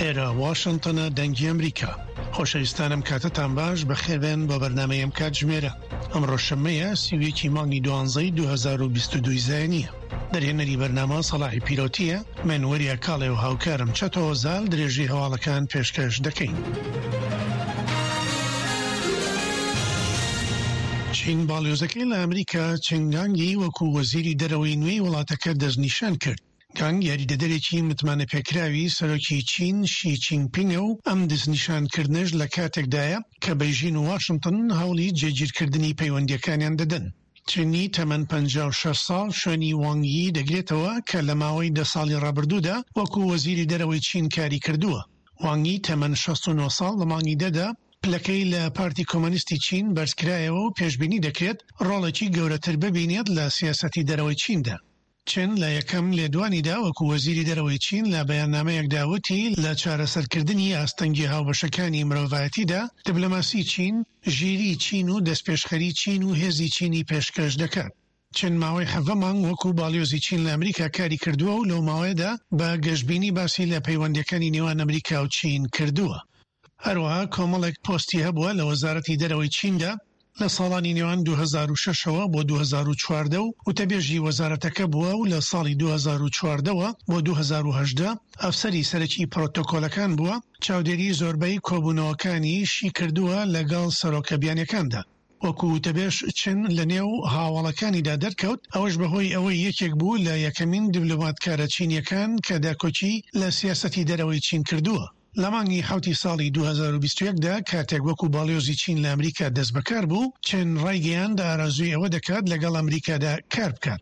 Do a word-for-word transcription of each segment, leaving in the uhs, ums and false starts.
ئێرە واشنتنە، دەنگی ئەمریکا. خۆشەویستانم کاتتان باش، بەخێربێن بۆ بەرنامەی ئەم کاتژمێرە. ئەمڕۆ شەممەیە سی و یەکی مانگی دوانزەی دوو هەزار و بیست و دوو زایینیە. دەرهێنەری بەرنامە سەڵاحی پیرۆتیە، من وەریا کاڵێ و هاوکارم چەتۆ زال درێژی هەواڵەکان پێشکەش دەکەین. چین باڵیۆزەکەی لە ئەمریکا چنگانگی وەکو وەزیری دەرەوەی نوێی وڵاتەکە دەستنیشان کرد. گانگ یاریدەدەرێکی متمانە پێکراوی سەرۆکی چین شی چینپینگە و ئەم دەستنیشانکردنەش لە کاتێکدایە کە بەیژین و واشنگتن هەوڵی جێگیرکردنی پەیوەندیەکانیان دەدەن. چینی تەمەن پەنجا و شەش ساڵ شوێنی وانگی دەگرێتەوە کە لە ماوەی دە ساڵی ڕابردوودا وەکو وەزیری دەرەوەی چین کاری کردووە. وانگی تەمەن شەست و نۆ ساڵ لە مانگی دەدا پلەکەی لە پارتی کۆمۆنیستی چین بەرزکرایەوە و پێشبینی دەکرێت ڕۆڵێکی گەورەتر ببینێت لە سیاسەتی دەرەوەی چیندا. چین لە یەکەم لێدوانیدا وەکو وەزیری دەرەوەی چین لە بەیاننامەیەکدا وتی لە چارەسەرکردنی ئاستەنگی هاوبەشەکانی مرۆڤایەتیدا دیپلۆماسی چین، ژیری چین و دەستپێشخەری چین و هێزی چینی پێشکەش دەکات. چین ماوەی حەڤدە مانگ وەکو باڵیۆزی چین لە ئەمریکا کاری کردووە و لەو ماوەیەدا بە گەشبینی باسی لە پەیوەندیەکانی نێوان ئەمریکا و چین کردووە. هەروەها کۆمەڵێک پۆستی هەبووە لە وەزارەتی دەرەوەی چیندا لە ساڵانی نێوان دوو هەزار و شەش ەوە بۆ دوو هەزار و چواردە و وتەبێژی وەزارەتەکە بووە و لە ساڵی دوو هەزار و چواردە بۆ دوو هەزار و هەژدە ئەفسەری سەرەکی پرۆتۆکۆلەکان بووە، چاودێری زۆربەی کۆبوونەوەکانیشی کردووە لەگەڵ سەرۆکە بیانیەکاندا. وەکو وتەبێژ چن لە نێو هاوڵەکانیدا دەرکەوت، ئەوەش بەهۆی ئەوەی یەکێک بوو لە یەکەمین دیپلۆماتکارە چینیەکان کە داکۆکی لە سیاسەتی دەرەوەی چین کردووە. لە مانگی حەوتی ساڵی دوو هەزار و بیست و یەک دا کاتێک وەکو باڵیۆزی چین لە ئەمریکا دەستبەکار بوو، چن ڕایگەیاند ئارەزووی ئەوە دەکات لەگەڵ ئەمریکادا کار بکات.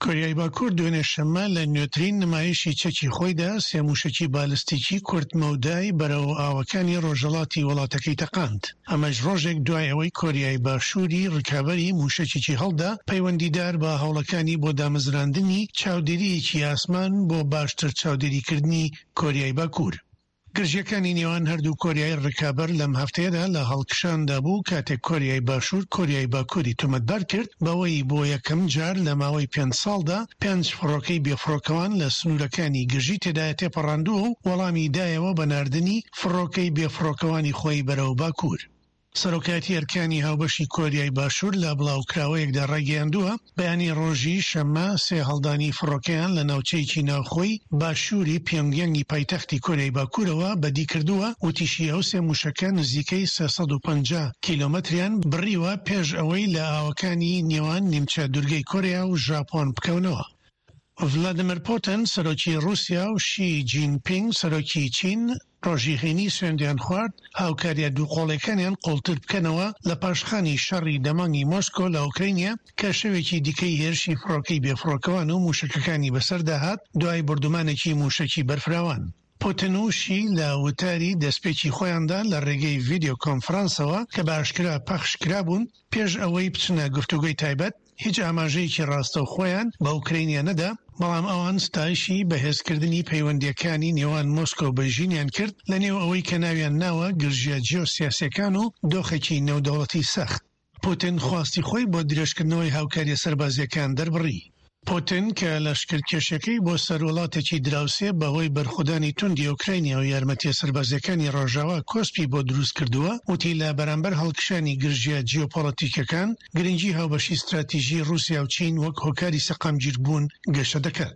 کۆریای باکوور دوێنێ شەممە لە نوێترین نمایشی چەکی خۆیدا سێ موشەکی بالستیکی کورت مەودای بەرەو ئاوەکانی ڕۆژهەڵاتی وڵاتەکەی تەقاند. ئەمەش ڕۆژێک دوای ئەوەی کۆریای باشووری ڕکابەری موشەکێکی هەڵدا پەیوەندیدار بە هەوڵەکانی بۆ دامەزراندنی چاودێرییەکی ئاسمان بۆ باشتر چاودێریکردنی کۆریای باکوور. گرژیەکانی نێوان هەردوو کۆریای ڕکابەر لەم هەفتەیەدا لە هەڵکشاندا بوو کاتێک کۆریای باشوور کۆریای باکووری تۆمەتبار کرد بەوەی بۆ یەکەم جار لە ماوەی پێنج ساڵدا پێنج فڕۆکەی بێفڕۆکەوان لە سنوورەکانی گرژی تێدایە تێپەڕاندووە و وەڵامی دایەوە بە ناردنی فڕۆکەی بێفڕۆکەوانی خۆی بەرەو باکوور. سەرۆکایەتی ئەرکانی هاوبەشی کۆریای باشوور لە بڵاوکراوەیەکدا ڕایگەیاندووە بەیانی ڕۆژی شەممە سێ هەڵدانی فڕۆکەیان لە ناوچەیەکی ناوخۆی باشووری پیۆنگیانگی پایتەختی کۆریای باکوورەوە بەدی کردووە. وتیشی ئەو سێ موشەکە نزیکەی سێ سەد و پەنجا کیلۆمەتریان بڕیوە پێش ئەوەی لە ئاوەکانی نێوان نیمچە دوورگەی کۆریا و ژاپۆن بکەونەوە. ڤلادیمیر پوتین سەرۆکی ڕووسیا و شی جینپینگ سەرۆکی چین ڕۆژی هەینی سوێندیان خوارد هاوکاریە دوو قۆڵەکانیان قوڵتر بکەنەوە لە پاشخانی شەڕی دەمانگی مۆسکۆ لە ئۆکرانیا کە شەوێکی دیکەی هێرشی فڕۆکەی بێفڕۆکەوان و موشەکەکانی بەسەردا هات دوای بردومانێکی موشەکی بەرفراوان. پوتین و شی لە وتاری دەستپێکی خۆیاندا لە ڕێگەی ڤیدیۆ کۆنفرانسەوە کە بە ئاشکرا پەخش کرابوون پێش ئەوەی بچنە گفتوگۆی تایبەت هیچ ئاماژەیەکی ڕاستەوخۆیان بە ئۆکرانیا نەدا، بەڵام ئەوان ستایشی بەهێزکردنی پەیوەندیەکانی نێوان مۆسکۆ و بەیژینیان کرد لە نێو ئەوەی کە ناویان ناوە گرژیە جیۆسیاسیەکان و دۆخێکی نێودەوڵەتی سەخت. پوتین خواستی خۆی بۆ درێژکردنەوەی هاوکاریە سەربازیەکان دەربڕی. پوتین کە لەشکرکێشەکەی بۆ سەر وڵاتێکی دراوسێ بەهۆی بەرخودانی توندی ئۆکرانیا و یارمەتیە سەربازیەکانی ڕۆژاوا کۆسپی بۆ دروست کردووە، وتی لە بەرامبەر هەڵکشانی گرژیە جیۆپۆلەتیکەکان گرنگی هاوبەشی ستراتیژی ڕوسیا و چین وەک هۆکاری سەقامگیربوون گەشە دەکات.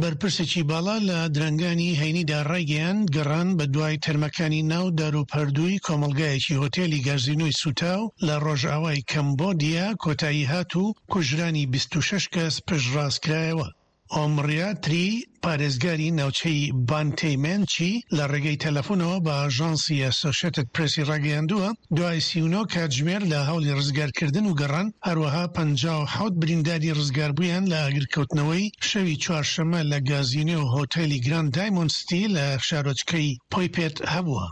بەرپرسێکی باڵا لە درەنگانی هەینیدا ڕایگەیاند گەڕان بە دوای تەرمەکانی ناو داروپەردووی کۆمەڵگایەکی هۆتێلی گازینۆی سوتاو لە ڕۆژئاوای کەمبۆدیا کۆتایی هات و کوژرانی بیست و شەش کەس پشتڕاست کرایەوە. ئۆمڕیا تری پارێزگاری ناوچەی بانتەیمێنچی لە ڕێگەی تەلەفۆنەوە بە ئاژانسی ئەسۆشێتد پرێسی ڕاگەیاندووە دوای سی و نۆ کاتژمێر لە هەوڵی ڕزگارکردن و گەڕان، هەروەها پەنجا و حەوت برینداری ڕزگاربوویان لە ئاگرکەوتنەوەی شەوی چوارشەممە لە گازینۆ و هۆتێلی گراند دایمۆند ستی لە شارۆچکەی پۆیپێت هەبووە.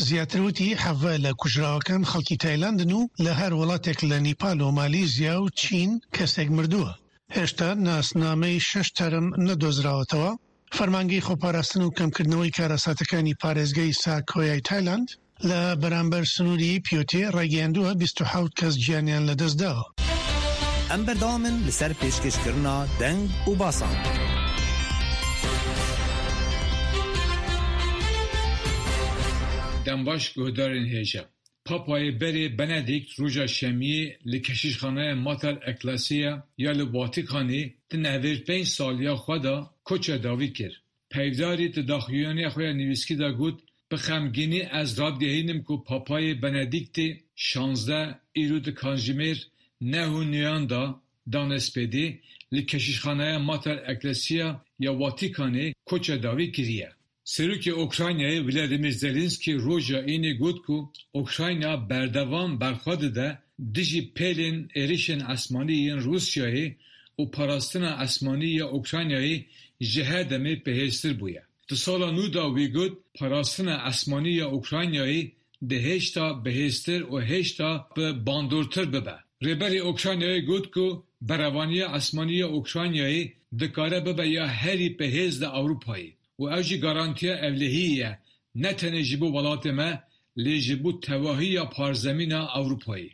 زیاتر وتی حەڤە لە کوژراوەکان خەڵکی تایلاندن و لە هەر وڵاتێک لە نیپال و مالیزیا و چین کەسێک مردووە. هێشتا ناسنامەی شەش تەرم نەدۆزراوەتەوە. فەرمانگەی خۆپاراستن و کەمکردنەوەی کارەساتەکانی پارێزگەی ساکۆیای تایلاند لە بەرامبەر سنووری پیۆتێ ڕایگەیاندووە بیست و حەوت کەس گیانیان لەدەستداوە. ئەم بەردەوامن لەسەر پێشکەشکردنا دەنگ و باسان. Dem baş guhdarên hêja. Papayê berê Benedikt roja şemiyê li Keşîşxaneya Mater Ecclesiae ya li Vatîkanê di newêr pênc saliya xwe de koça dawî kir. Peyvdarî di daxuyaniya xwe ya nivîskî de got: Bi xemgînî ez radigihînim ku Papayê Benediktê şanzdeh îro di kanjimêr neh û nîvan de danê spêdê li Keşîşxaneya Mater Ecclesiae ya Vatîkanê koça dawî kiriye. Serokê Ukraynayê Vladimir Zelenski roja înê got ku Ukrayna berdewam berxwe dide dijî pêlên êrişên esmanî yên Rûsyayê û parastina esmanî ya Ukraynayê ji her demê bihêztir bûye. Di sala nû de wî got parastina esmanî ya Ukraynayê dê hêjta bihêztir û hêjta bi bandortir bibe. Rêberê Ukraynayê got ku berevaniya esmanî ya Ukraynayê dikare bibe ya herî bihêz li Ewropayê û ew jî garantiya ewlehiyê ye ne tenê ji bo welatê me lê ji bo tevahiya parzemîna Ewropayê.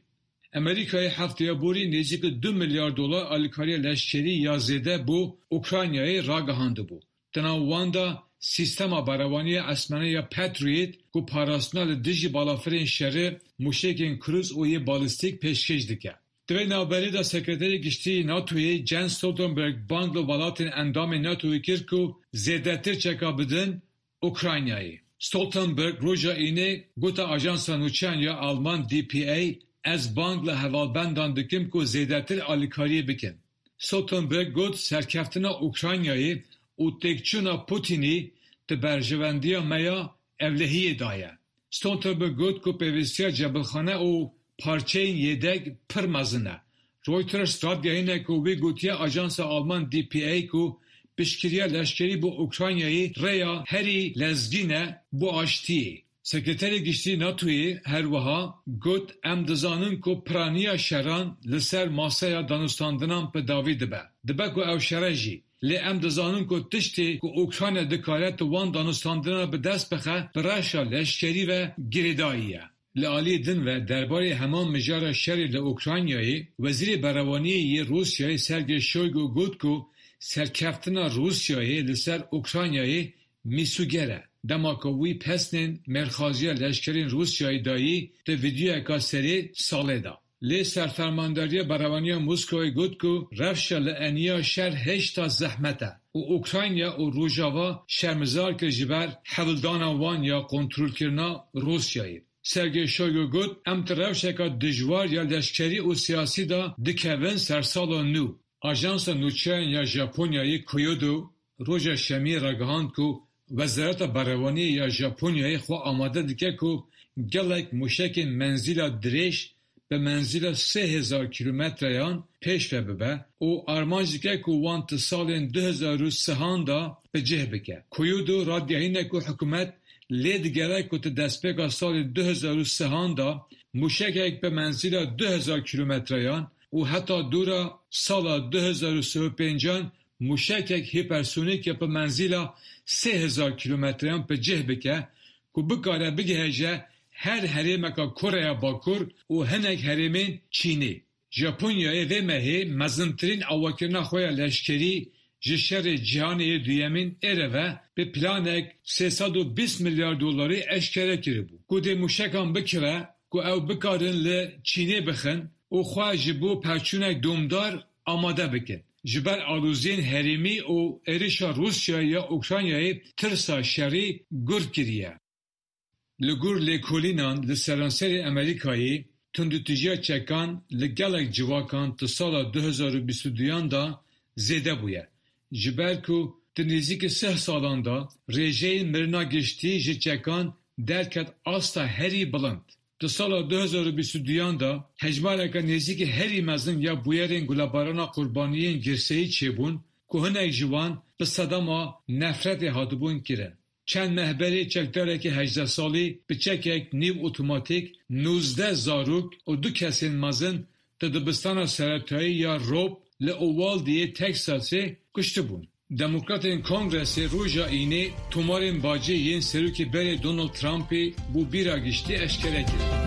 Amerîkayê hefteya borî nêzîkî du milyar dolar alîkariya leşkerî ya zêde bo Ukraynayê ragihandibû. Di nav wan de sîstema berevaniya esmanî ya Patriot ku parastina li dijî balafirên şerê, mûşekên krûz û yê balîstîk pêşkêş dike. Di vê navberê de Sekreterê Giştî yê NATOyê Jens Stoltenberg bang li welatên endamên NATOyê kir ku zêdetir çeka bidin Ukraynayê. Stoltenberg roja înê gote ajansa nûçeyan ya Alman D P A ez bang li hevalbendan dikim ku zêdetir alîkariyê bikin. Stoltenberg got serkeftina Ukraynayê û têkçûna Putinê di berjewendiya me ya ewlehiyê de ye. Stoltenberg got ku pêwîstiya cebilxane û parçeyên yedek pir mezin e. Reuters radigihîne ku wî gotiye ajansa Alman D P A ku piştgiriya leşkerî bo Ukraynayê rêya herî lezgîn e bo aştiyê. Sekreterê Giştî NATOyê her wiha got em dizanin ku piraniya şeran li ser maseya danûstandinan bi dawî dibe. Dibe ku ew şere jî. Lê em dizanin ku tiştê ku Ukrayna dikare di wan danûstandina bi dest bixe bi reşa leşkerî ve girêdayî ye. Li aliyê din ve derbarê heman mijara şerê li Ukraynayê, Wezîrê Berevaniyê yê Rûsyayê Sergey Shoigu got ku serkeftina Rûsyayê li ser Ukraynayê mîsûger e. Dema ku wî pesnên mêrxaziya leşkerên Rûsyayê dayî di vîdeoyeke serê salê de. Lê Serfermandariya Berevaniya Moskowê got ku rewşa li eniya şer hêjta zehmet e û Ukrayna û Rojava şermezar kir ji ber hewldana wan ya kontrolkirina Rûsyayê. Sergey Shoigu got em di rewşeke dijwar ya leşkerî û siyasî de dikevin sersala nû. Ajansa nûçeyan ya Japonyayê Kyodo roja şemiyê ragihand ku Wezareta Berevaniyê ya Japonyayê xwe amade dike ku gelek mûşekên menzîla dirêj bi menzîla sê hezar kîlometreyan pêş ve bibe û armanc dike ku wan di salên du hezar û sihan de bi cih bike. Kyodo radigihîne ku hikûmet lê digere ku di destpêka salê du hezar û sihan de mûşekek bi menzîla du hezar kîlometreyan û heta dûra sala du hezar û sih û pêncan mûşekek hîpersonîk ya bi menzîla sê hezar kîlometreyan bi cih bike ku bikare bigihêje her herêmeke Koreya Bakur û hinek herêmên Çînê. Japonyayê vê mehê mezintirîn avakirina xwe ya leşkerî ji şerê cîhanê yê duyemîn êre ve bi planek sê sed û bîst milyar dolarî eşkere kiribû. Ku dê mûşekan bikire ku ew bikarin li Çînê bixin û xwe ji bo perçûnek domdar amade bikin. Ji ber aloziyên herêmî û êrişa Rûsyayê ya Ukraynayê tirsa şerî gur kiriye. Li gor lêkolînan li seranserê Amerîkayê tundûtûjiya çekan li gelek civakan di sala du hezar û bîst û duyan de zêde bûye. Ji ber ku di nêzîkî sih salan de rêjeyên mirina giştî ji çekan derket asta herî bilind. Di sala du hezar û bîst û duyan de hejmareke nêzîkî herî mezin ya bûyerên gulebarana qurbaniyên girseyî çêbûn ku hinek ji wan bi sedema nefretê hatibûn kirin. Çend meh berê çekdarekî hejdeh salî bi çekek nîv otomatîk nozdeh zarok û du kesên mezin di dibistana seretayî ya Robb li Uvalde'yê Teksasê kuştibûn. Demokratên Kongresê roja înê tomarên bacê yên serokê berê Donald Trumpê bo bîra giştî eşkere kirin.